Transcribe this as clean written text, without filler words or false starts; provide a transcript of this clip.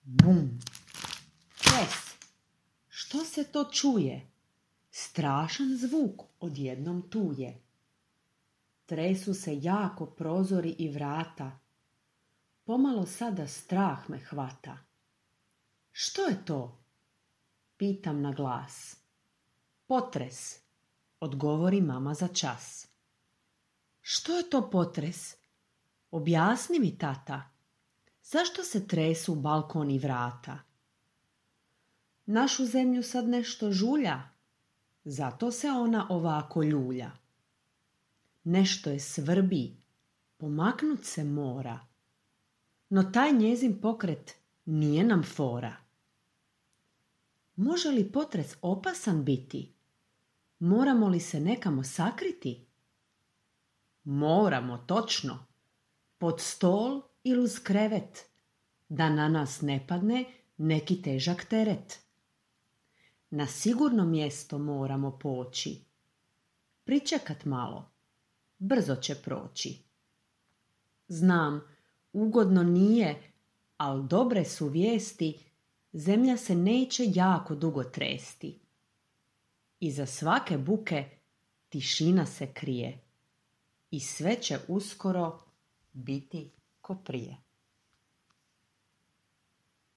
Bum! Pes! Što se to čuje? Strašan zvuk odjednom tu je. Tresu se jako prozori i vrata. Pomalo sada strah me hvata. Što je to? Pitam na glas. Potres, odgovori mama za čas. Što je to potres? Objasni mi, tata. Zašto se tresu balkon i vrata? Našu zemlju sad nešto žulja, zato se ona ovako ljulja. Nešto je svrbi, pomaknut se mora, no taj njezin pokret nije nam fora. Može li potres opasan biti? Moramo li se nekamo sakriti? Moramo, točno, pod stol ili uz krevet, da na nas ne padne neki težak teret. Na sigurno mjesto moramo poći, pričekat malo, brzo će proći. Znam, ugodno nije, ali dobre su vijesti, zemlja se neće jako dugo tresti. Iza svake buke tišina se krije i sve će uskoro biti ko prije.